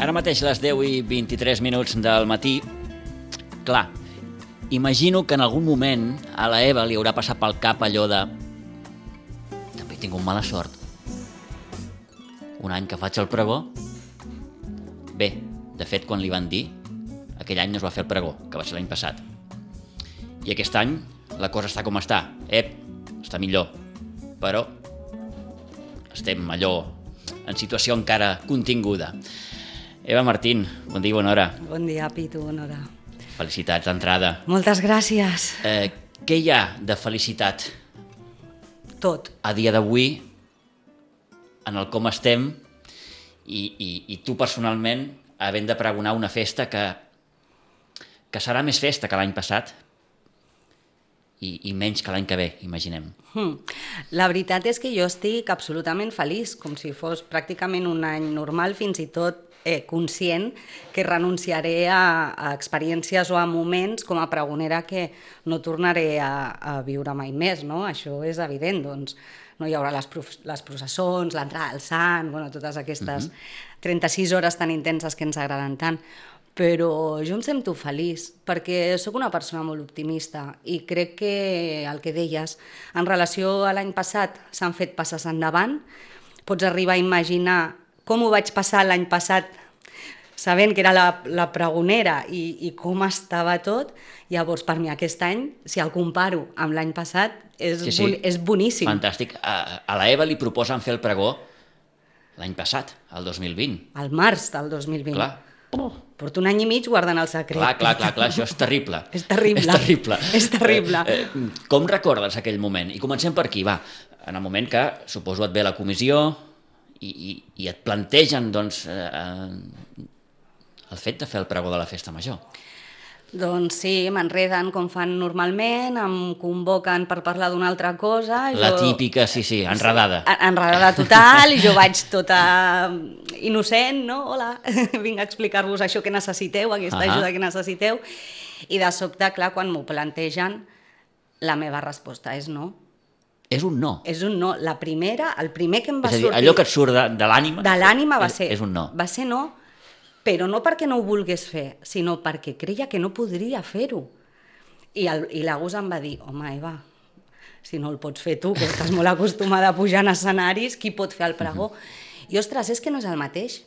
Ara mateix les 10:23 del matí. Clar, imagino que en algun moment a la Eva li haurà passat pel cap allò de... També he tingut mala sort. Un any que faig el pregó. Bé, de fet, quan li van dir, aquell any no es va fer el pregó, que va ser l'any passat. I aquest any la cosa està com està. Està millor. Però estem allò en situació encara continguda. Eva Martín, bon dia i bona hora. Bon dia, Pitu, bona hora. Felicitats d'entrada. Moltes gràcies. Què hi ha de felicitat Tot. a dia d'avui en el com estem i tu personalment havent de pregonar una festa que serà més festa que l'any passat i menys que l'any que ve, imaginem. La veritat és que jo estic absolutament feliç, com si fos pràcticament un any normal, fins i tot conscient que renunciaré a experiències o a moments com a pregonera que no tornaré a viure mai més, no? Això és evident, doncs no hi haurà les processons, l'entrada al sant, bueno, totes aquestes 36 hores tan intenses que ens agraden tant. Però jo em sento feliç perquè sóc una persona molt optimista i crec que el que deies, en relació a l'any passat s'han fet passes endavant, pots arribar a imaginar com ho vaig passar l'any passat sabent que era la pregonera i com estava tot. Llavors, per mi aquest any, si el comparo amb l'any passat, és boníssim. Fantàstic. A la Eva li proposen fer el pregó l'any passat, el 2020. Al març del 2020. Clar. Porto un any i mig guardant el secret. Clar, això és terrible. És terrible. Com recordes aquell moment? I comencem per aquí, va. En el moment que, suposo, et ve la comissió i et plantegen, doncs, el fet de fer el pregó de la festa major. Doncs sí, m'enreden com fan normalment, em convoquen per parlar d'una altra cosa. La típica, sí, enredada. Enredada total, i jo vaig tota innocent, no? Hola, vinc a explicar-vos això que necessiteu, aquesta ajuda que necessiteu. I de sobte, clar, quan m'ho plantegen, la meva resposta és no. És un no. És un no. El primer que em va sortir... És a dir, allò que et surt de l'ànima... De l'ànima va ser... És un no. Va ser no, però no perquè no ho volgués fer, sinó perquè creia que no podria fer-ho. I l'Agus em va dir, home, Eva, si no el pots fer tu, que estàs molt acostumada a pujar en escenaris, qui pot fer el pregó? I, ostres, és que no és el mateix.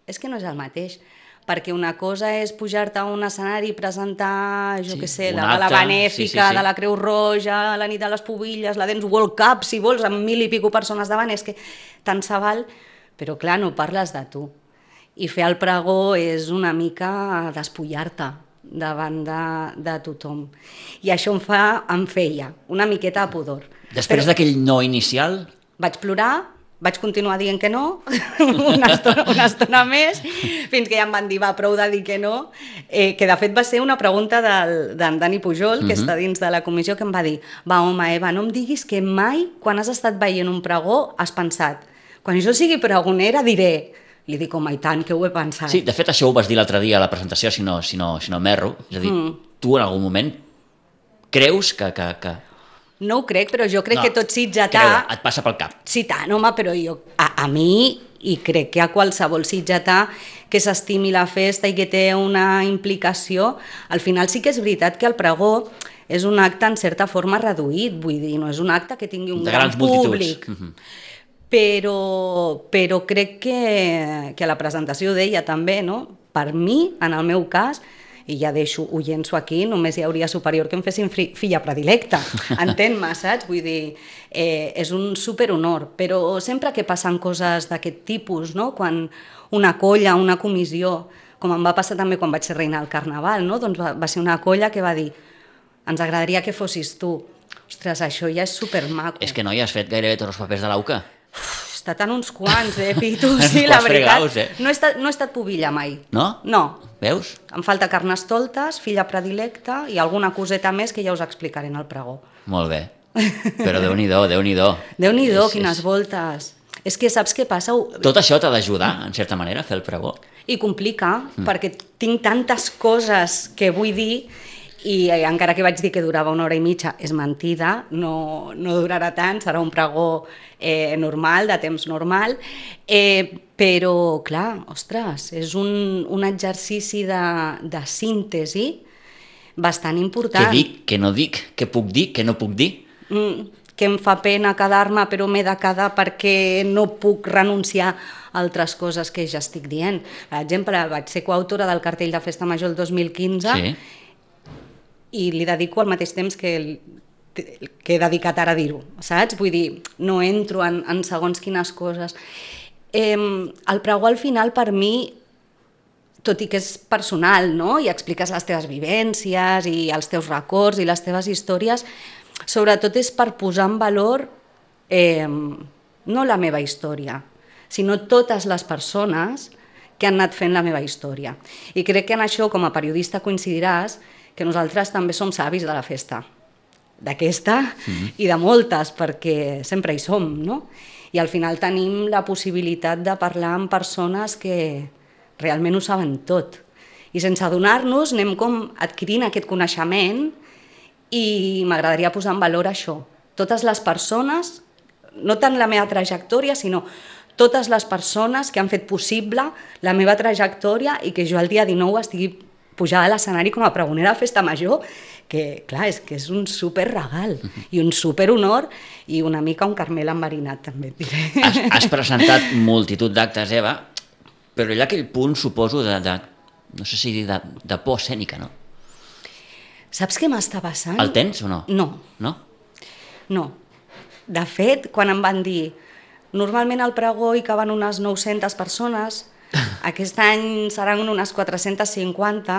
És que no és el mateix. Perquè una cosa és pujar-te a un escenari i presentar, jo què sé, la gala benèfica de la Creu Roja, la nit de les pubilles, la Dance World Cup, si vols, amb 1.000 i pico persones davant, és que tant se val, però clar, no parles de tu. I fer el pregó és una mica despullar-te davant de tothom. I això em feia una miqueta de pudor. Després d'aquell no inicial... Vaig plorar, vaig continuar dient que no, una estona més, fins que ja em van dir, va, prou de dir que no, que de fet va ser una pregunta d'en Dani Pujol, que està dins de la comissió, que em va dir, va, home, Eva, no em diguis que mai, quan has estat veient un pregó, has pensat, quan jo sigui pregonera diré... Li dic, home, i tant, que ho he pensat. Sí, de fet, això ho vas dir l'altre dia a la presentació, si no m'erro. És a dir, tu en algun moment creus que... No ho crec, però jo crec que tot sitgetà... Et passa pel cap. Sí, tant, home, però jo, a mi, i crec que a qualsevol sitgetà que s'estimi la festa i que té una implicació, al final sí que és veritat que el pregó és un acte en certa forma reduït, vull dir, no és un acte que tingui un gran públic. Però crec que a la presentació deia també, no? Per mi, en el meu cas, i ja ho llenço aquí, només hi hauria superior que em fessin filla predilecta, entén-me, saps? Vull dir, és un superhonor, però sempre que passen coses d'aquest tipus, no? Quan una colla, una comissió, com em va passar també quan vaig ser reina del Carnaval, no? Doncs va ser una colla que va dir, ens agradaria que fossis tu. Ostres, això ja és supermaco. És que no hi has fet gairebé tots els papers de l'AUCA. He estat en uns quants, Pitu, sí, la veritat. No he estat pubilla mai. No? No. Veus? Em falta Carnestoltes, filla predilecta i alguna coseta més que ja us explicaré en el pregó. Molt bé. Però Déu-n'hi-do, Déu-n'hi-do. Déu-n'hi-do, quines voltes. És que saps què passa? Tot això t'ha d'ajudar, en certa manera, a fer el pregó. I complica, perquè tinc tantes coses que vull dir i encara que vaig dir que durava 1 hora i mitja, és mentida, no durarà tant, serà un pregó normal, de temps normal, però, clar, ostres, és un exercici de síntesi bastant important. Què dic, què no dic, què puc dir, què no puc dir? Que em fa pena quedar-me, però m'he de quedar perquè no puc renunciar a altres coses que ja estic dient. Per exemple, vaig ser coautora del cartell de Festa Major el 2015 i li dedico al mateix temps que he dedicat ara a dir-ho, saps? Vull dir, no entro en segons quines coses. El pregó al final per mi, tot i que és personal, no? I expliques les teves vivències i els teus records i les teves històries, sobretot és per posar en valor no la meva història, sinó totes les persones que han anat fent la meva història. I crec que en això, com a periodista, coincidiràs que nosaltres també som savis de la festa, d'aquesta i de moltes, perquè sempre hi som, no? I al final tenim la possibilitat de parlar amb persones que realment ho saben tot. I sense adonar-nos anem com adquirint aquest coneixement i m'agradaria posar en valor això. Totes les persones, no tant la meva trajectòria, sinó totes les persones que han fet possible la meva trajectòria i que jo el dia 19 estigui pujada a l'escenari com a pregonera de Festa Major, que clar, és que és un superregal i un superhonor i una mica un Carmel enverinat, també et diré. Has presentat multitud d'actes, Eva, però hi ha aquell punt, suposo, no sé si dir de por escènica, no? Saps què m'està passant? El tens o no? No. No? No. De fet, quan em van dir normalment al pregó hi caben unes 900 persones, aquest any seran unes 450,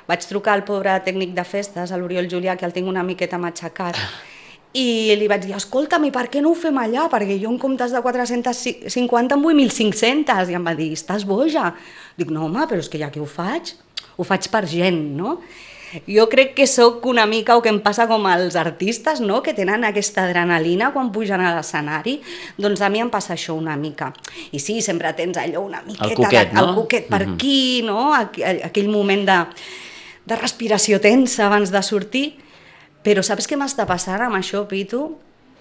vaig trucar al pobre tècnic de festes, a l'Oriol Julià, que el tinc una miqueta matxacat, i li vaig dir, escolta'm, i per què no ho fem allà? Perquè jo en comptes de 450 en vull 1.500. I em va dir, estàs boja? Dic, no home, però és que ja que ho faig per gent, no? Jo crec que sóc una mica, o que em passa com als artistes, no? Que tenen aquesta adrenalina quan pugen a l'escenari, doncs a mi em passa això una mica. I sí, sempre tens allò una miqueta, el coquet, no? El coquet per aquí, no? Aquell moment de respiració tensa abans de sortir. Però saps què m'està passant amb això, Pitu?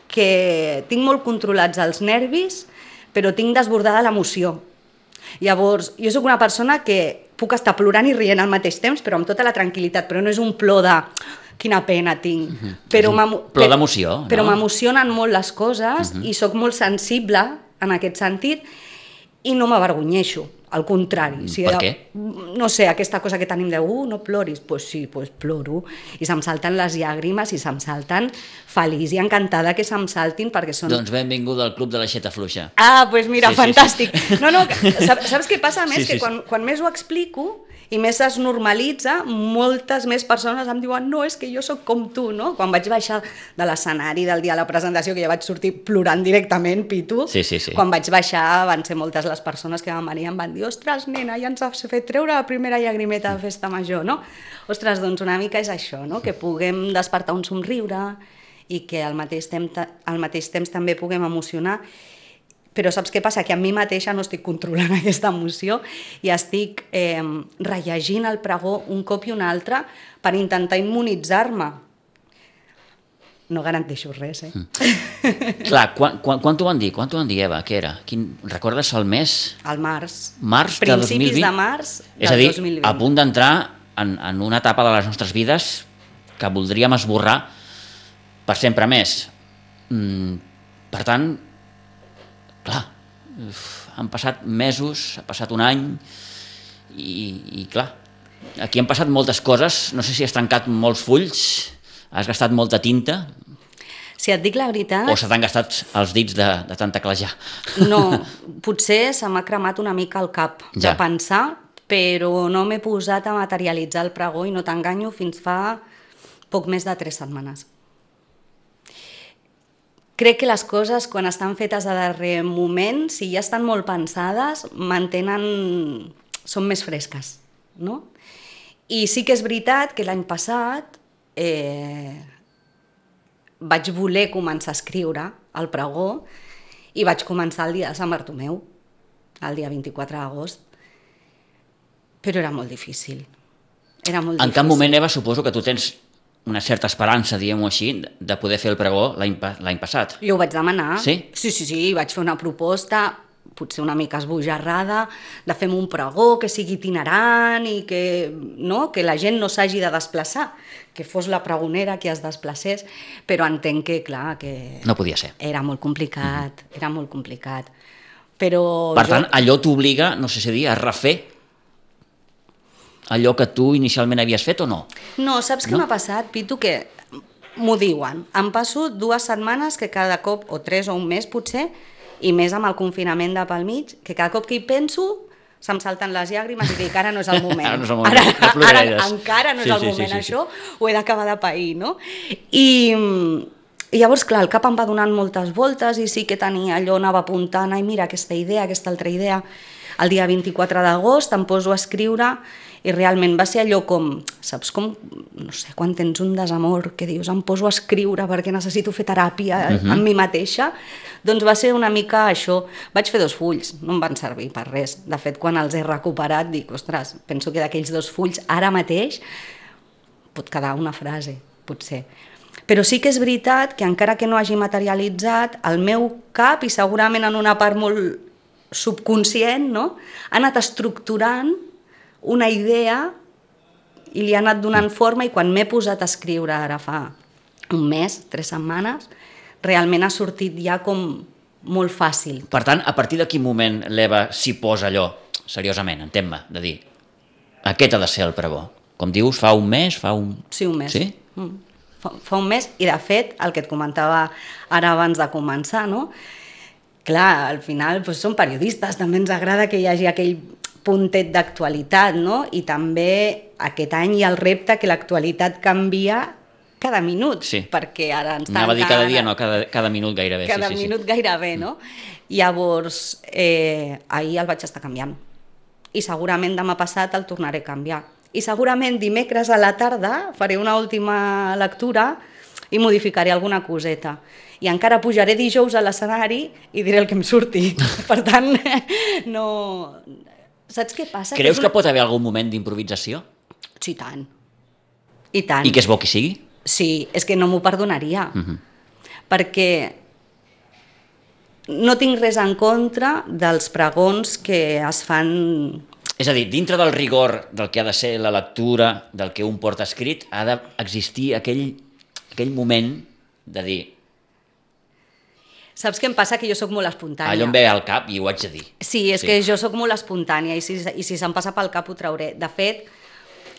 Que tinc molt controlats els nervis, però tinc desbordada l'emoció. Llavors, jo sóc una persona que puc estar plorant i rient al mateix temps, però amb tota la tranquil·litat, però no és un plor de quina pena tinc. Però plor d'emoció, no? Però m'emocionen molt les coses i sóc molt sensible en aquest sentit i no m'avergonyeixo, al contrari. Per què? No sé, aquesta cosa que tenim de no ploris, doncs sí, ploro, i se'm salten les llàgrimes i se'm salten feliç i encantada que se'm saltin perquè són... Doncs benvinguda al club de l'aixeta fluixa. Ah, doncs mira, sí, fantàstic. Sí. No, saps què passa? Més sí, que quan més ho explico i més es normalitza, moltes més persones em diuen no, és que jo sóc com tu, no? Quan vaig baixar de l'escenari del dia de la presentació, que ja vaig sortir plorant directament, Pitu, sí. Quan vaig baixar van ser moltes les persones que van venir i em van dir ostres, nena, ja ens has fet treure la primera llagrimeta de Festa Major, no? Ostres, doncs una mica és això, no? Que puguem despertar un somriure i que al mateix temps també puguem emocionar. Però saps què passa? Que a mi mateixa no estic controlant aquesta emoció i estic rellegint el pregó un cop i un altre per intentar immunitzar-me. No garanteixo res, Clar, quan t'ho van dir? Quan t'ho van dir, Eva? Què era? Recordes el mes? Al març. Març de 2020? Principis de març del 2020. És a dir, a punt d'entrar en una etapa de les nostres vides que voldríem esborrar per sempre més. Per tant, clar, han passat mesos, ha passat un any i clar, aquí han passat moltes coses, no sé si has trencat molts fulls, has gastat molta tinta... Si et dic la veritat... O se t'han gastat els dits de tant teclejar. No, potser se m'ha cremat una mica el cap de pensar, però no m'he posat a materialitzar el pregó i no t'enganyo fins fa poc més de 3 setmanes. Crec que les coses, quan estan fetes a darrer moment, si ja estan molt pensades, són més fresques, no? I sí que és veritat que l'any passat vaig voler començar a escriure el pregó i vaig començar el dia de Sant Bartomeu, el dia 24 d'agost, però era molt difícil. Era molt En difícil. cap moment, Eva, suposo que tu tens una certa esperança, diguem-ho així, de poder fer el pregó l'any passat. Jo ho vaig demanar. Sí? Sí, vaig fer una proposta, potser una mica esbojarrada, de fer un pregó que sigui itinerant i que la gent no s'hagi de desplaçar, que fos la pregonera qui es desplacés, però entenc que, clar, que... No podia ser. Era molt complicat, era molt complicat. Però Per tant, allò t'obliga, no sé si dir, a refer allò que tu inicialment havies fet o no? No, saps què m'ha passat, Pitu? Que m'ho diuen. Em passo 2 setmanes que cada cop, o 3 o un mes potser, i més amb el confinament de pel mig, que cada cop que hi penso se'm salten les llàgrimes i dic, ara no és el moment. Ara no és el moment, no ploraràs. Encara no és el moment, això ho he d'acabar de pair, no? I llavors, clar, el cap em va donant moltes voltes i sí que tenia allò, anava apuntant, ai, mira, aquesta idea, aquesta altra idea. El dia 24 d'agost em poso a escriure i realment va ser allò com, saps com, no sé, quan tens un desamor que dius em poso a escriure perquè necessito fer teràpia amb mi mateixa, doncs va ser una mica això. Vaig fer 2 fulls, no em van servir per res. De fet, quan els he recuperat dic, ostres, penso que d'aquells 2 fulls ara mateix pot quedar una frase, potser. Però sí que és veritat que encara que no hagi materialitzat, el meu cap, i segurament en una part molt subconscient, no? Ha anat estructurant una idea i li ha anat donant forma, i quan m'he posat a escriure ara fa un mes, 3 setmanes, realment ha sortit ja com molt fàcil. Per tant, a partir de quin moment l'Eva s'hi posa allò, seriosament, entén-me, de dir, aquest ha de ser el pregó? Com dius, fa un mes? Sí, un mes. Sí? Fa un mes, i de fet, el que et comentava ara abans de començar, no? Clar, al final doncs, som periodistes, també ens agrada que hi hagi aquell puntet d'actualitat, no? I també aquest any hi ha el repte que l'actualitat canvia cada minut, perquè ara ens anava a dir cada dia, no, cada minut gairebé. Cada minut gairebé, no? Llavors, ahir el vaig estar canviant, i segurament demà passat el tornaré a canviar, i segurament dimecres a la tarda faré una última lectura i modificaré alguna coseta, i encara pujaré dijous a l'escenari i diré el que em surti. Per tant, no... Saps què passa? Creus que pot haver algun moment d'improvisació? Sí, tant. I tant. I que és bo que sigui? Sí, és que no m'ho perdonaria. Perquè no tinc res en contra dels pregons que es fan... És a dir, dintre del rigor del que ha de ser la lectura, del que un porta escrit, ha d'existir aquell moment de dir... Saps què em passa? Que jo sóc molt espontània. Allò em ve al cap i ho haig de dir. Sí, és que jo sóc molt espontània, i si se'm passa pel cap ho trauré. De fet,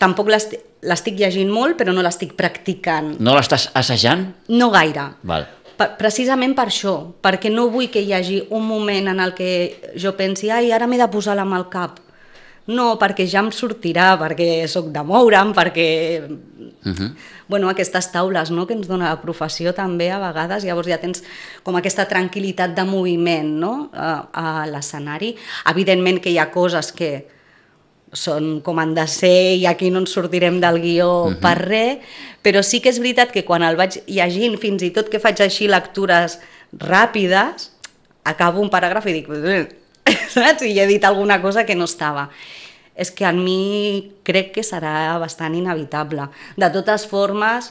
tampoc l'estic llegint molt, però no l'estic practicant. No l'estàs assajant? No gaire. Val. Precisament per això, perquè no vull que hi hagi un moment en el que jo pensi, ai, ara m'he de posar la mà al cap. No, perquè ja em sortirà, perquè sóc de moure'm, perquè... Bueno, aquestes taules, no?, que ens dona la professió també a vegades, llavors ja tens com aquesta tranquil·litat de moviment, no?, a l'escenari. Evidentment que hi ha coses que són com han de ser i aquí no ens sortirem del guió per res, però sí que és veritat que quan el vaig llegint, fins i tot que faig així lectures ràpides, acabo un paràgraf i dic... saps? I he dit alguna cosa que no estava. És que en mi crec que serà bastant inevitable. De totes formes,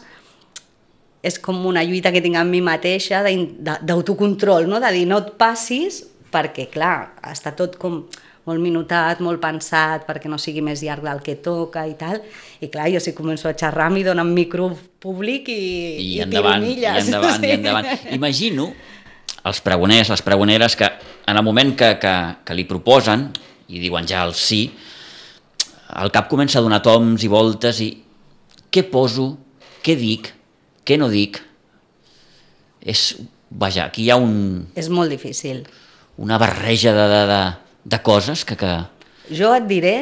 és com una lluita que tinc amb mi mateixa d'autocontrol, no? De dir no et passis, perquè clar, està tot com molt minutat, molt pensat, perquè no sigui més llarg del que toca i tal, i clar, jo si començo a xerrar m'hi donen micro públic i tiro milles. I endavant. Imagino els pregoners, les pregoneres, que en el moment que li proposen i diuen ja el sí, el cap comença a donar toms i voltes i què poso, què dic, què no dic. Vaja, aquí hi ha És molt difícil. Una barreja de coses que... Jo et diré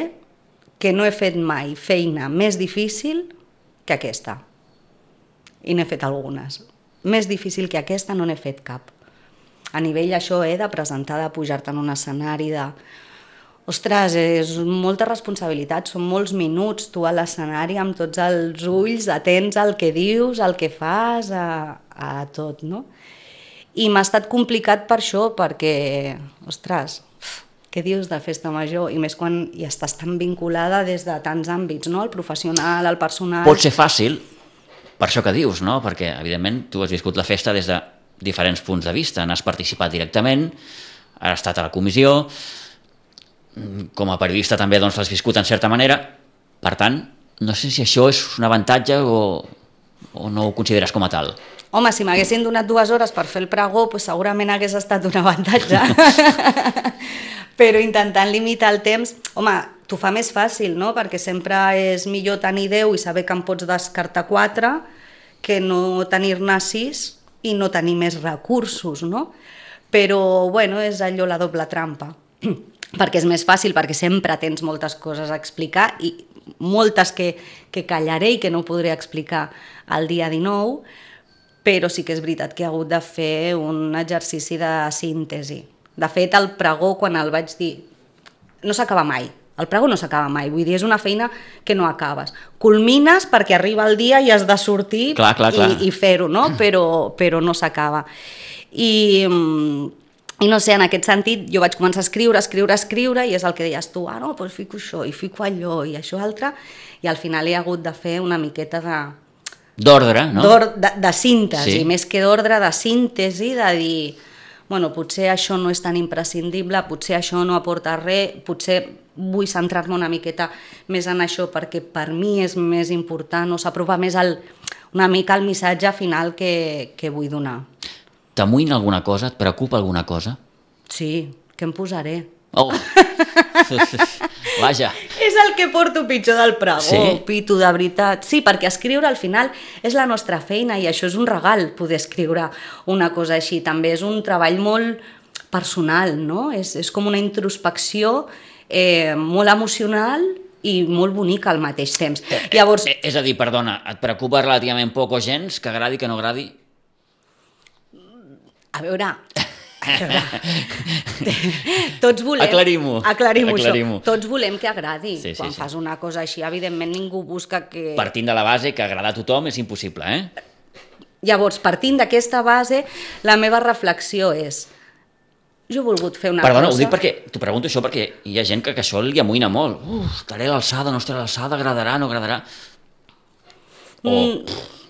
que no he fet mai feina més difícil que aquesta. I n'he fet algunes. Més difícil que aquesta no n'he fet cap. A nivell això de presentar, de pujar-te en un escenari, de... Ostres, és molta responsabilitat, són molts minuts tu a l'escenari amb tots els ulls, atents al que dius, al que fas, a tot, no? I m'ha estat complicat per això, perquè, ostres, què dius de festa major? I més quan hi estàs tan vinculada des de tants àmbits, no? El professional, el personal... Pot ser fàcil, per això que dius, no? Perquè, evidentment, tu has viscut la festa des de diferents punts de vista, n'has participat directament, has estat a la comissió, com a periodista també doncs, l'has viscut en certa manera, per tant, no sé si això és un avantatge o no ho consideres com a tal. Home, si m'haguessin donat 2 hores per fer el pregó, doncs segurament hagués estat un avantatge. Però intentant limitar el temps, home, t'ho fa més fàcil, no? Perquè sempre és millor tenir 10 i saber que en pots descartar 4 que no tenir-ne 6 i no tenir més recursos, no? Però, bueno, és allò la doble trampa. Perquè és més fàcil, perquè sempre tens moltes coses a explicar i moltes que callaré i que no podré explicar el dia 19, però sí que és veritat que he hagut de fer un exercici de síntesi. De fet, el pregó, quan el vaig dir, no s'acaba mai. El pregó no s'acaba mai, vull dir, és una feina que no acabes. Culmines perquè arriba el dia i has de sortir clar. I fer-ho, no? Però no s'acaba. I no sé, en aquest sentit, jo vaig començar a escriure, i és el que deies tu, no, doncs fico això, i fico allò, i això altre, i al final he hagut de fer una miqueta d'ordre, no? De síntesi, sí. Més que d'ordre, de síntesi, de dir, bueno, potser això no és tan imprescindible, potser això no aporta res, potser vull centrar-me una miqueta més en això perquè per mi és més important, o s'apropa més una mica el missatge final que vull donar. T'amoïna alguna cosa? Et preocupa alguna cosa? Sí, què em posaré? Oh! Vaja! És el que porto pitjor del pregó, sí? Pitu, de veritat. Sí, perquè escriure al final és la nostra feina i això és un regal, poder escriure una cosa així. També és un treball molt personal, no? És com una introspecció molt emocional i molt bonica al mateix temps. Llavors... És a dir, perdona, et preocupa relativament poc o gens, que agradi, que no agradi? A veure, tots volem... Aclarim-ho. Això. Tots volem que agradi. Sí, Quan fas una cosa així, evidentment ningú busca que... Partint de la base que agradar a tothom és impossible, Llavors, partint d'aquesta base, la meva reflexió és... Jo he volgut fer una cosa... Perdona, ho dic perquè... T'ho pregunto això perquè hi ha gent que això li amoïna molt. Estaré a l'alçada, no estaré a l'alçada, agradarà, no agradarà...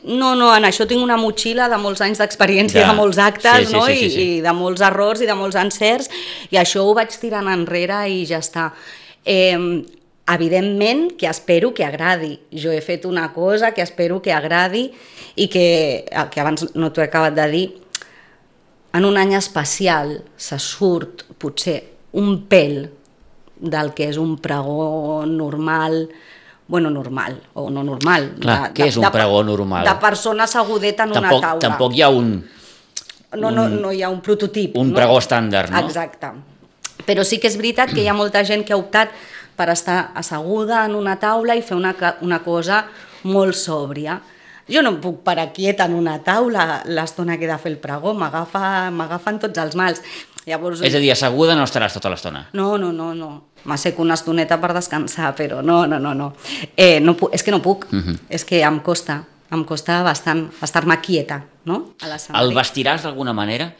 No, en això tinc una motxilla de molts anys d'experiència, de molts actes, no? Sí. I de molts errors i de molts encerts, i això ho vaig tirant enrere i ja està. Evidentment que espero que agradi. Jo he fet una cosa que espero que agradi i que abans no t'ho he acabat de dir, en un any especial se surt potser un pèl del que és un pregó normal, bueno, normal, o no normal. Clar, què és un pregó normal? De persona assegudeta en una taula. Tampoc hi ha no hi ha un prototip. Un pregó estàndard, no? Exacte. Però sí que és veritat que hi ha molta gent que ha optat per estar asseguda en una taula i fer una cosa molt sòbria. Jo no em puc parar quieta en una taula l'estona que he de fer el pregó, m'agafen tots els mals. Llavors... És a dir, asseguda no estaràs tota l'estona? No. M'asseco una estoneta per descansar, però no. És que no puc, és que em costa bastant estar-me quieta, no? A l'escenari. El vestiràs d'alguna manera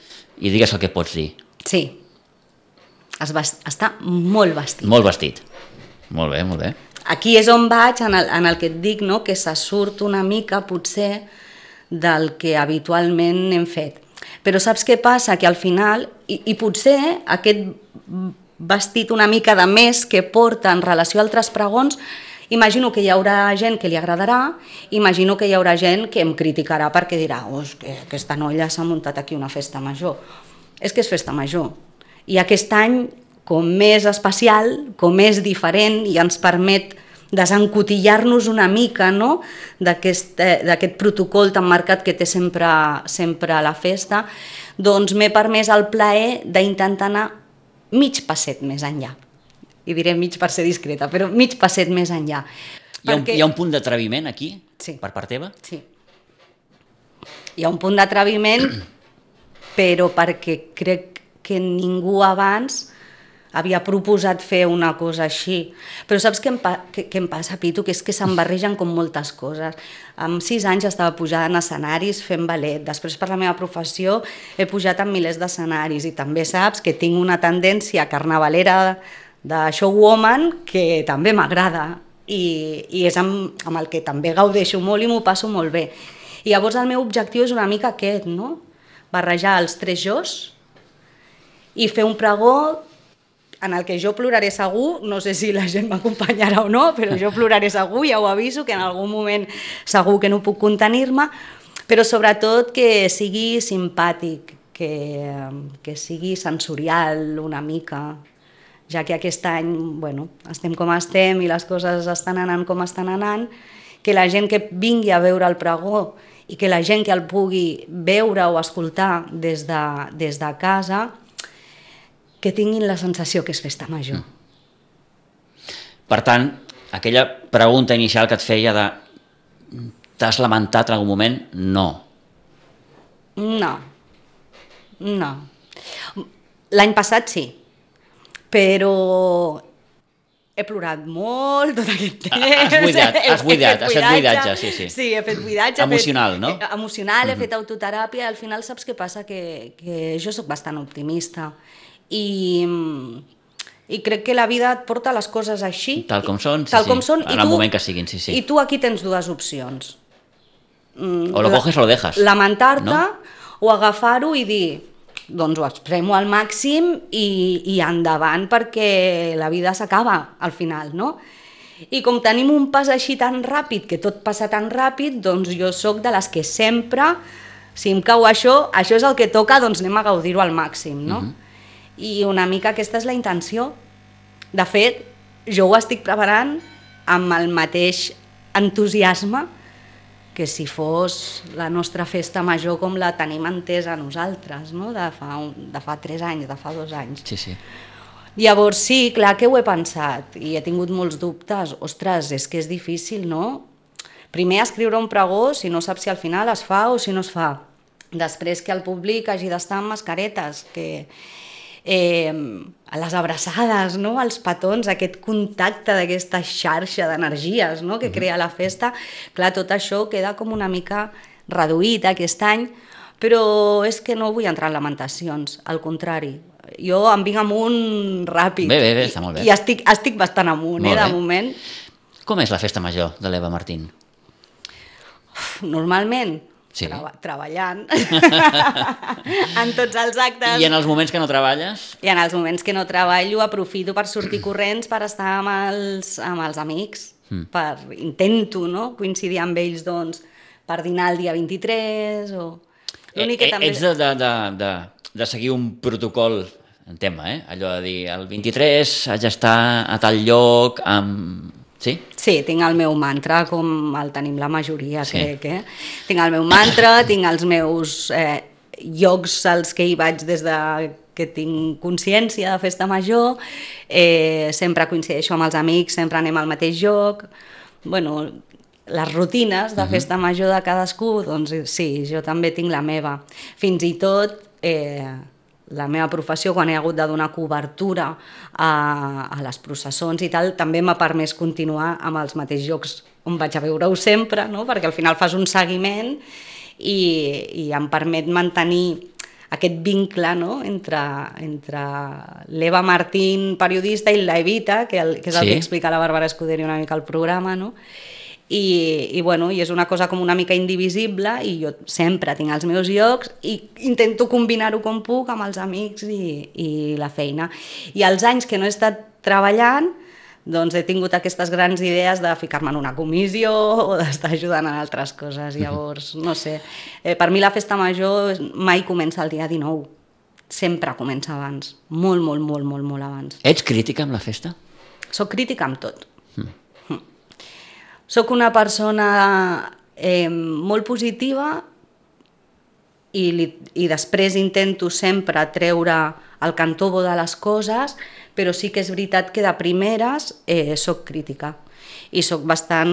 i digues el que pots dir. Sí, està molt vestit. Molt vestit, molt bé. Aquí és on vaig, en el que et dic, no? Que se surt una mica, potser, del que habitualment hem fet. Però saps què passa? Que al final, i potser aquest vestit una mica de més que porta en relació a altres pregons, imagino que hi haurà gent que li agradarà, imagino que hi haurà gent que em criticarà perquè dirà, que aquesta noia s'ha muntat aquí una festa major. És que és festa major. I aquest any, com més especial, com més diferent, i ens permet desencotillar-nos una mica, no? d'aquest protocol tan marcat que té sempre la festa, doncs m'he permès el plaer d'intentar anar mig passet més enllà. I diré mig per ser discreta, però mig passet més enllà. Hi ha un punt d'atreviment aquí, sí, per part teva? Sí. Hi ha un punt d'atreviment, però perquè crec que ningú abans havia proposat fer una cosa així. Però saps què em passa, Pitu? Que és que se'm barregen com moltes coses. Amb 6 anys estava pujant en escenaris fent ballet. Després, per la meva professió, he pujat en milers d'escenaris i també saps que tinc una tendència carnavalera de showwoman que també m'agrada i és amb el que també gaudeixo molt i m'ho passo molt bé. I llavors el meu objectiu és una mica aquest, no? Barrejar els 3 jos i fer un pregó en el que jo ploraré segur, no sé si la gent m'acompanyarà o no, però jo ploraré segur, ja ho aviso, que en algun moment segur que no puc contenir-me, però sobretot que sigui simpàtic, que sigui sensorial una mica, ja que aquest any estem com estem i les coses estan anant com estan anant, que la gent que vingui a veure el pregó i que la gent que el pugui veure o escoltar des de casa que tinguin la sensació que és festa major. Per tant, aquella pregunta inicial que et feia de t'has lamentat en algun moment? No. No. L'any passat sí, però he plorat molt tot aquest temps. Has fet buidatge, sí. Sí, he fet buidatge. Emocional, no? Emocional, he fet autoteràpia. Al final saps què passa? Que jo soc bastant optimista. I crec que la vida et porta les coses així. Tal com són, en el moment que siguin, sí. I tu aquí tens 2 opcions. O lo coges o lo dejas. Lamentar-te, no? O agafar-ho i dir, doncs ho expremo al màxim i endavant perquè la vida s'acaba al final, no? I com tenim un pas així tan ràpid, que tot passa tan ràpid, doncs jo sóc de les que sempre, si em cau això és el que toca, doncs anem a gaudir-ho al màxim, no? I una mica aquesta és la intenció. De fet, jo ho estic preparant amb el mateix entusiasme que si fos la nostra festa major com la tenim entesa nosaltres, no? de fa 3 anys, de fa 2 anys. Sí. Llavors sí, clar que ho he pensat i he tingut molts dubtes. Ostres, és que és difícil, no? Primer escriure un pregó si no saps si al final es fa o si no es fa. Després que el públic hagi d'estar amb mascaretes, que a les abraçades, no? Els petons, aquest contacte d'aquesta xarxa d'energies, no? Que crea la festa. Clar, tot això queda com una mica reduït aquest any, però és que no vull entrar en lamentacions, al contrari. Jo em vinc amunt ràpid. Bé, està molt bé. I estic bastant amunt, de moment. Com és la festa major de l'Eva Martín? Normalment, sí. Treballant en tots els actes. I en els moments que no treballes? I en els moments que no treballo aprofito per sortir corrents, per estar amb els amics, intento, no? Coincidir amb ells doncs, per dinar el dia 23 o... Ets de seguir un protocol en tema, allò de dir el 23 haig d'estar a tal lloc amb... Sí? Sí, tinc el meu mantra, com el tenim la majoria, crec. Tinc el meu mantra, tinc els meus llocs als que hi vaig des de que tinc consciència de festa major, sempre coincideixo amb els amics, sempre anem al mateix lloc. Bueno, les rutines de festa major de cadascú, doncs sí, jo també tinc la meva. Fins i tot la meva professió, quan he hagut de donar cobertura a les processons i tal, també m'ha permès continuar amb els mateixos llocs on vaig a veure-ho sempre, no? Perquè al final fas un seguiment i em permet mantenir aquest vincle, no? entre l'Eva Martín, periodista, i la Evita, que és el que explica la Bàrbara Escuderi una mica al programa, no? I és una cosa com una mica indivisible i jo sempre tinc els meus llocs i intento combinar-ho com puc amb els amics i la feina. I els anys que no he estat treballant, doncs he tingut aquestes grans idees de ficar-me en una comissió o d'estar ajudant en altres coses. Llavors, no sé, per mi la festa major mai comença el dia 19, sempre comença abans, molt abans. Ets crítica amb la festa? Soc crítica amb tot. Soc una persona molt positiva i després intento sempre treure el cantó bo de les coses, però sí que és veritat que de primeres soc crítica i soc bastant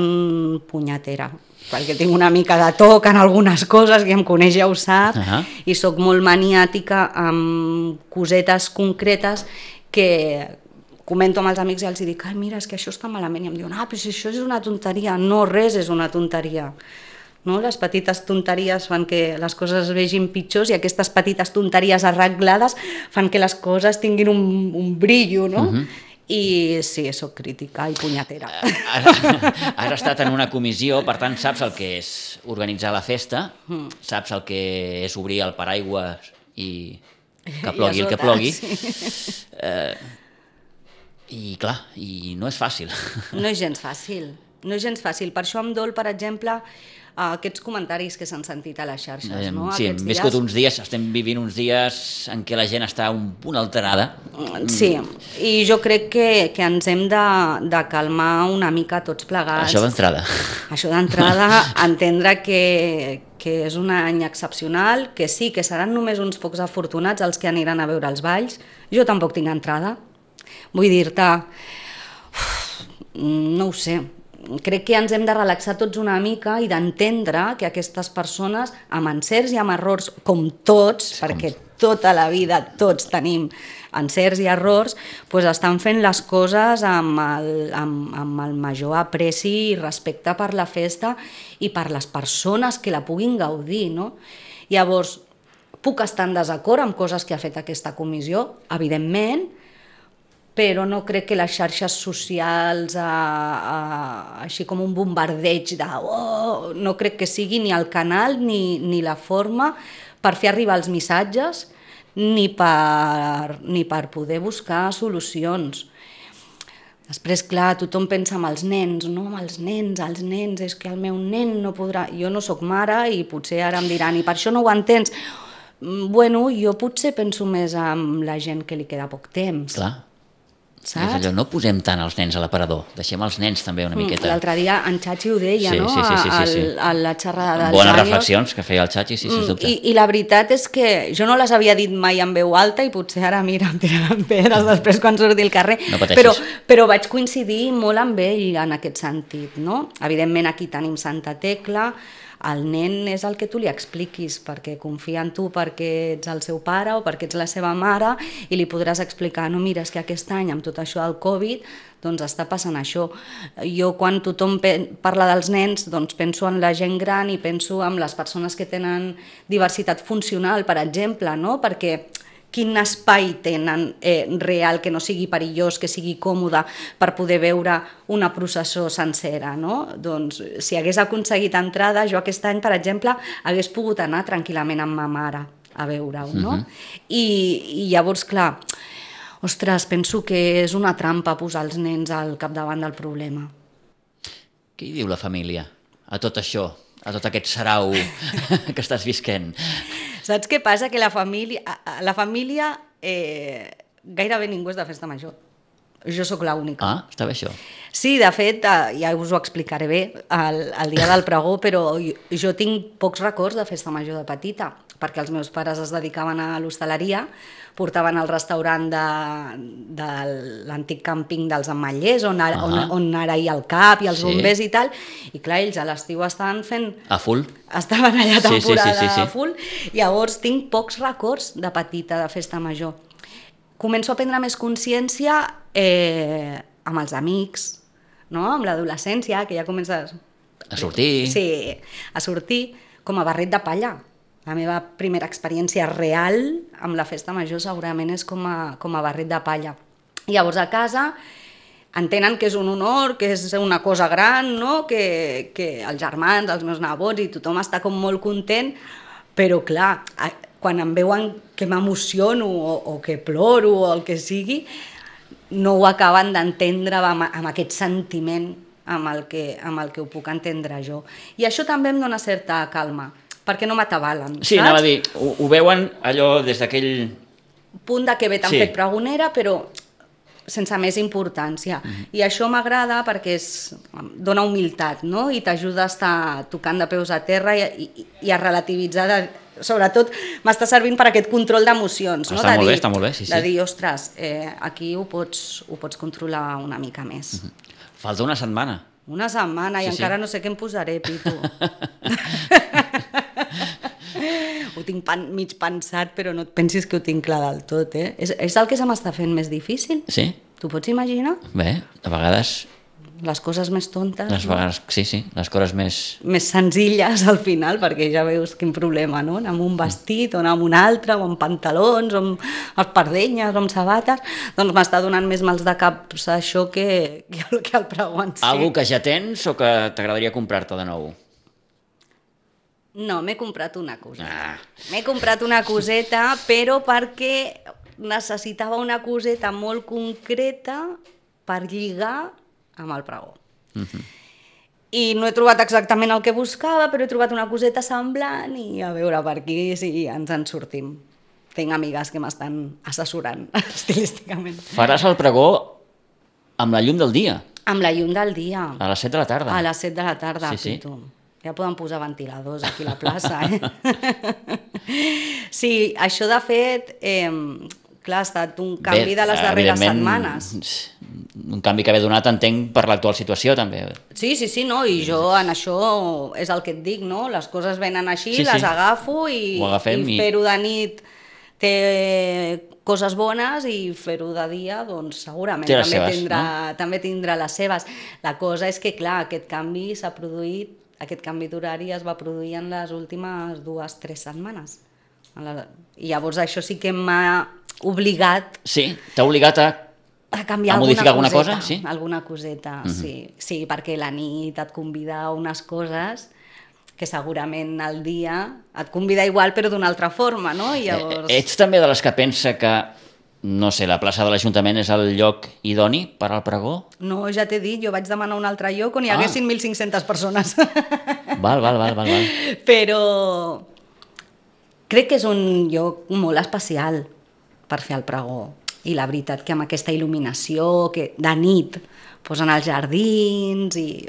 punyetera, perquè tinc una mica de toc en algunes coses, qui em coneix ja ho sap, i soc molt maniàtica amb cosetes concretes que comento amb els amics i els dic, ai, mira, és que això està malament, i em diuen, però si això és una tonteria. No, res és una tonteria. No? Les petites tonteries fan que les coses es vegin pitjors i aquestes petites tonteries arreglades fan que les coses tinguin un brillo, no? I sí, soc crítica i punyetera. Has estat en una comissió, per tant saps el que és organitzar la festa, saps el que és obrir el paraigua i que plogui el que plogui. I clar, i no és fàcil. No és gens fàcil, no és gens fàcil. Per això em dol, per exemple, aquests comentaris que s'han sentit a les xarxes. No? Sí, hem viscut uns dies, estem vivint uns dies en què la gent està un punt alterada. Sí, i jo crec que ens hem de calmar una mica tots plegats. Això d'entrada. Això d'entrada, entendre que és un any excepcional, que sí, que seran només uns pocs afortunats els que aniran a veure els balls. Jo tampoc tinc entrada. Vull dir-te, no ho sé, crec que ens hem de relaxar tots una mica i d'entendre que aquestes persones, amb encerts i amb errors, com tots, perquè tota la vida tots tenim encerts i errors, doncs estan fent les coses amb el major apreci i respecte per la festa i per les persones que la puguin gaudir, no? Llavors, puc estar en desacord amb coses que ha fet aquesta comissió, evidentment, però no crec que les xarxes socials, així com un bombardeig de no crec que sigui ni el canal ni la forma per fer arribar els missatges ni per poder buscar solucions. Després, clar, tothom pensa en els nens, no? Els nens, és que el meu nen no podrà... Jo no sóc mare i potser ara em diran, i per això no ho entens. Bueno, jo potser penso més en la gent que li queda poc temps. Clar. Saps? És allò, no posem tant els nens a l'aparador, deixem els nens també una miqueta. L'altre dia en Chachi ho deia, no? A la xerrada dels bones reflexions que feia el Chachi, sí, sens dubte. I la veritat és que jo no les havia dit mai en veu alta i potser ara, mira, em tiraran pedres després quan surti al carrer. No pateixis. Però vaig coincidir molt amb ell en aquest sentit, no? Evidentment aquí tenim Santa Tecla, el nen és el que tu li expliquis, perquè confia en tu perquè ets el seu pare o perquè ets la seva mare i li podràs explicar, no, mira, és que aquest any amb tot això del Covid doncs està passant això. Jo quan tothom parla dels nens doncs penso en la gent gran i penso en les persones que tenen diversitat funcional, per exemple, no? Perquè quin espai tenen real que no sigui perillós, que sigui còmode per poder veure una processó sencera, no? Doncs si hagués aconseguit entrada, jo aquest any, per exemple, hagués pogut anar tranquil·lament amb ma mare a veure-ho, no? I llavors, clar, ostres, penso que és una trampa posar els nens al capdavant del problema. Què hi diu la família a tot això, a tot aquest sarau que estàs visquent? Saps què passa? Que la família gairebé ningú és de festa major. Jo sóc l'única. Ah, està bé això. Sí, de fet, ja us ho explicaré bé el dia del pregó, però jo tinc pocs records de festa major de petita, perquè els meus pares es dedicaven a l'hostaleria, portaven al restaurant de l'antic càmping dels Ametllers, on ara hi ha el CAP i els bombers i tal, i clar, ells a l'estiu estaven fent... A full? Estaven allà temporada a full, llavors tinc pocs records de petita de festa major. Començo a prendre més consciència amb els amics, no? Amb l'adolescència, que ja comences... A sortir. Sí, a sortir com a barret de palla. La meva primera experiència real amb la festa major segurament és com a barret de palla. Llavors a casa entenen que és un honor, que és una cosa gran, no? Que els germans, els meus nebots i tothom està com molt content, però clar, quan em veuen que m'emociono o que ploro o el que sigui, no ho acaben d'entendre amb aquest sentiment amb el que ho puc entendre jo. I això també em dona certa calma, perquè no m'atabalen, saps? Sí, anava a dir, ho veuen allò des d'aquell... punt de que bé t'han fet pregonera, però sense més importància. I això m'agrada perquè dona humilitat, no? I t'ajuda a estar tocant de peus a terra i a relativitzar, sobretot m'està servint per aquest control d'emocions, no? Està molt bé, sí. De dir, ostres, aquí ho pots controlar una mica més. Falta una setmana. Una setmana, i encara no sé què em posaré, Pitu. ho tinc mig pensat, però no et pensis que ho tinc clar del tot, eh? És el que se m'està fent més difícil. Sí? T'ho pots imaginar? Bé, a vegades... Les coses més tontes, sí, les coses més... més senzilles al final, perquè ja veus quin problema, no? Anar amb un vestit, o anar amb un altre, o amb pantalons, o amb espardenyes, o amb sabates... Doncs m'està donant més mals de cap això que el pregó en si. Algú que ja tens o que t'agradaria comprar-te de nou? No, m'he comprat una coseta. Ah. M'he comprat una coseta, però perquè necessitava una coseta molt concreta per lligar amb el pregó. I no he trobat exactament el que buscava, però he trobat una coseta semblant i a veure per aquí si ens en sortim. Tinc amigues que m'estan assessorant estilísticament. Faràs el pregó amb la llum del dia? Amb la llum del dia. A les 7 de la tarda? A les 7 de la tarda, sí. Pitu. Ja poden posar ventiladors aquí a la plaça, eh? Sí, això de fet, clar, ha estat un canvi de les darreres setmanes. Un canvi que ve donat, entenc, per l'actual situació, també. Sí, no, i jo en això és el que et dic, no? Les coses venen així, sí. les agafo i fer-ho de nit té coses bones i fer-ho de dia, doncs segurament també tindrà les seves. La cosa és que, clar, aquest canvi s'ha produït, aquest canvi d'horari es va produir en les últimes 2-3 setmanes. I llavors això sí que m'ha obligat... Sí, t'ha obligat a canviar modificar alguna cosa? Sí? Alguna coseta, sí, perquè la nit et convida a unes coses que segurament al dia et convida igual però d'una altra forma, no? I llavors... Ets també de les que pensa que, no sé, la plaça de l'Ajuntament és el lloc idoni per al pregó? No, ja t'he dit, jo vaig demanar un altre lloc on hi haguessin 1.500 persones. Val. Però crec que és un lloc molt especial per fer el pregó. I la veritat que amb aquesta il·luminació que de nit posen els jardins i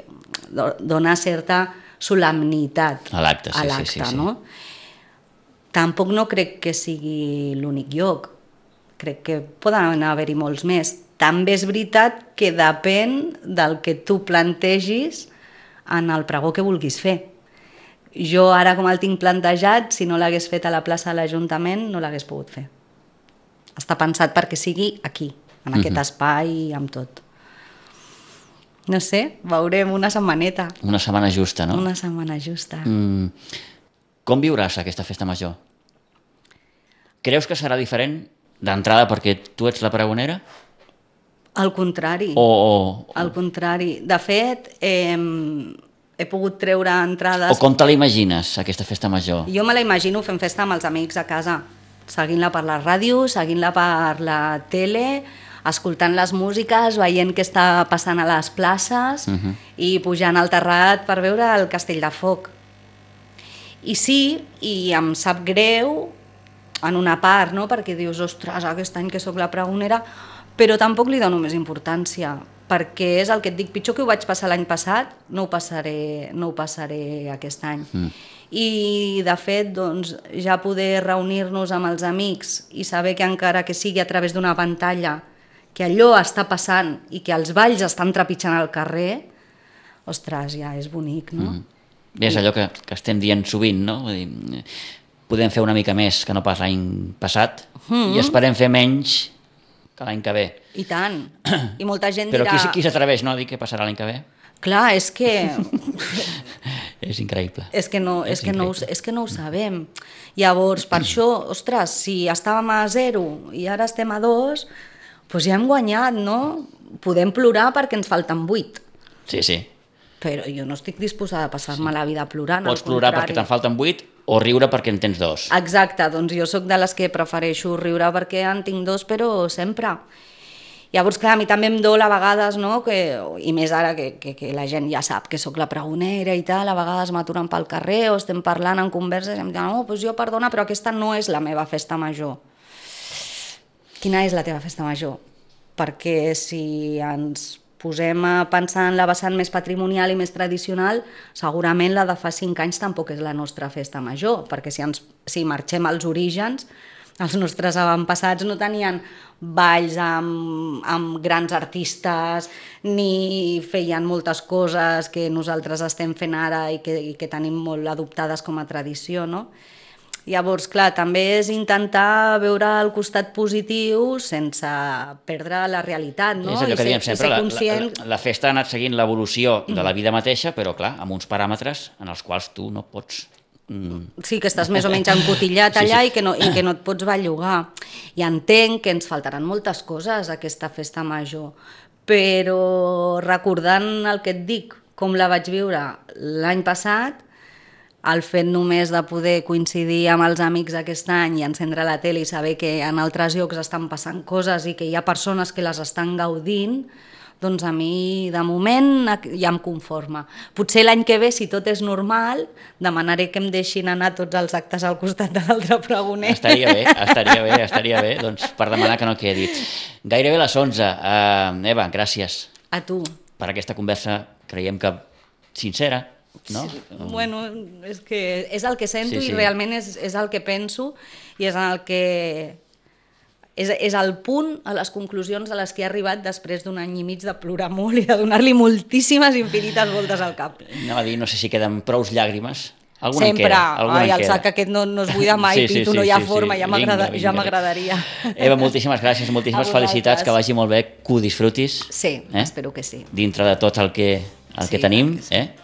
dona certa solemnitat a l'acte, sí. No? Tampoc no crec que sigui l'únic lloc. Crec que poden haver-hi molts més. També és veritat que depèn del que tu plantegis en el pregó que vulguis fer. Jo ara, com el tinc plantejat, si no l'hagués fet a la plaça de l'Ajuntament, no l'hagués pogut fer. Està pensat perquè sigui aquí, en aquest espai, amb tot. No sé, veurem una setmaneta. Una setmana justa, no? Una setmana justa. Com viuràs aquesta festa major? Creus que serà diferent d'entrada perquè tu ets la pregonera? Al contrari. Al contrari. De fet, he pogut treure entrades... O com te la imagines, aquesta festa major? Jo me la imagino fent festa amb els amics a casa, seguint-la per la ràdio, seguint-la per la tele, escoltant les músiques, veient què està passant a les places i pujant al terrat per veure el Castell de Foc. I sí, i em sap greu en una part, no? Perquè dius, ostres, aquest any que sóc la pregonera, però tampoc li dono més importància, perquè és el que et dic, pitjor que ho vaig passar l'any passat, no ho passaré aquest any. I de fet, doncs, ja poder reunir-nos amb els amics i saber que encara que sigui a través d'una pantalla, que allò està passant i que els balls estan trepitjant al carrer, ostres, ja és bonic, no? Bé, és allò que estem dient sovint, no? Vull dir, podem fer una mica més que no pas l'any passat i esperem fer menys que l'any que ve. I tant. I molta gent dirà... Però qui s'atreveix, no, a dir què passarà l'any que ve? Clar, és que... És increïble. És que no ho sabem. Llavors, per això, ostres, si estàvem a 0 i ara estem a 2, doncs ja hem guanyat, no? Podem plorar perquè ens falten 8. Sí. Però jo no estic disposada a passar-me la vida plorant. Pots plorar perquè te'n falten 8 o riure perquè en tens 2. Exacte, doncs jo sóc de les que prefereixo riure perquè en tinc 2, però sempre. Llavors, clar, a mi també em dol a vegades, no? I més ara que la gent ja sap que sóc la pregonera i tal, a vegades m'aturen pel carrer o estem parlant en converses i em diuen, doncs jo perdona, però aquesta no és la meva festa major. Quina és la teva festa major? Perquè si ens posem a pensar en la vessant més patrimonial i més tradicional, segurament la de fa 5 anys tampoc és la nostra festa major, perquè si marxem als orígens, els nostres avantpassats no tenien balls amb grans artistes ni feien moltes coses que nosaltres estem fent ara i que tenim molt adoptades com a tradició, no? Llavors, clar, també és intentar veure el costat positiu sense perdre la realitat, no? És allò que diem sempre, conscient... la festa ha anat seguint l'evolució de la vida mateixa, però clar, amb uns paràmetres en els quals tu no pots... Sí, que estàs més o menys encotillat allà Sí. i que no et pots bellugar. I entenc que ens faltaran moltes coses a aquesta festa major, però recordant el que et dic, com la vaig viure l'any passat, el fet només de poder coincidir amb els amics aquest any i encendre la tele i saber que en altres llocs estan passant coses i que hi ha persones que les estan gaudint, doncs a mi, de moment, ja em conforma. Potser l'any que ve, si tot és normal, demanaré que em deixin anar tots els actes al costat de l'altre pregoner. Estaria bé, doncs, per demanar que no quedi. Gairebé les 11. Eva, gràcies. A tu. Per aquesta conversa, creiem que sincera, no? Sí, bueno, és que és el que sento i realment és el que penso i és el que... És el punt a les conclusions a les que he arribat després d'un any i mig de plorar molt i de donar-li moltíssimes infinites voltes al cap. Anava a dir, no sé si queden prous llàgrimes. Sempre. Ai, el sac aquest no es buida mai, Pitu, no hi ha forma, ja m'agradaria. Eva, moltíssimes gràcies, moltíssimes felicitats, que vagi molt bé, que ho disfrutis. Sí, espero que sí. Dintre de tot el que tenim,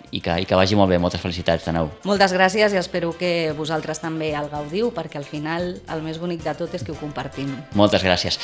i que vagi molt bé. Moltes felicitats de nou. Moltes gràcies i espero que vosaltres també el gaudiu, perquè al final el més bonic de tot és que ho compartim. Moltes gràcies.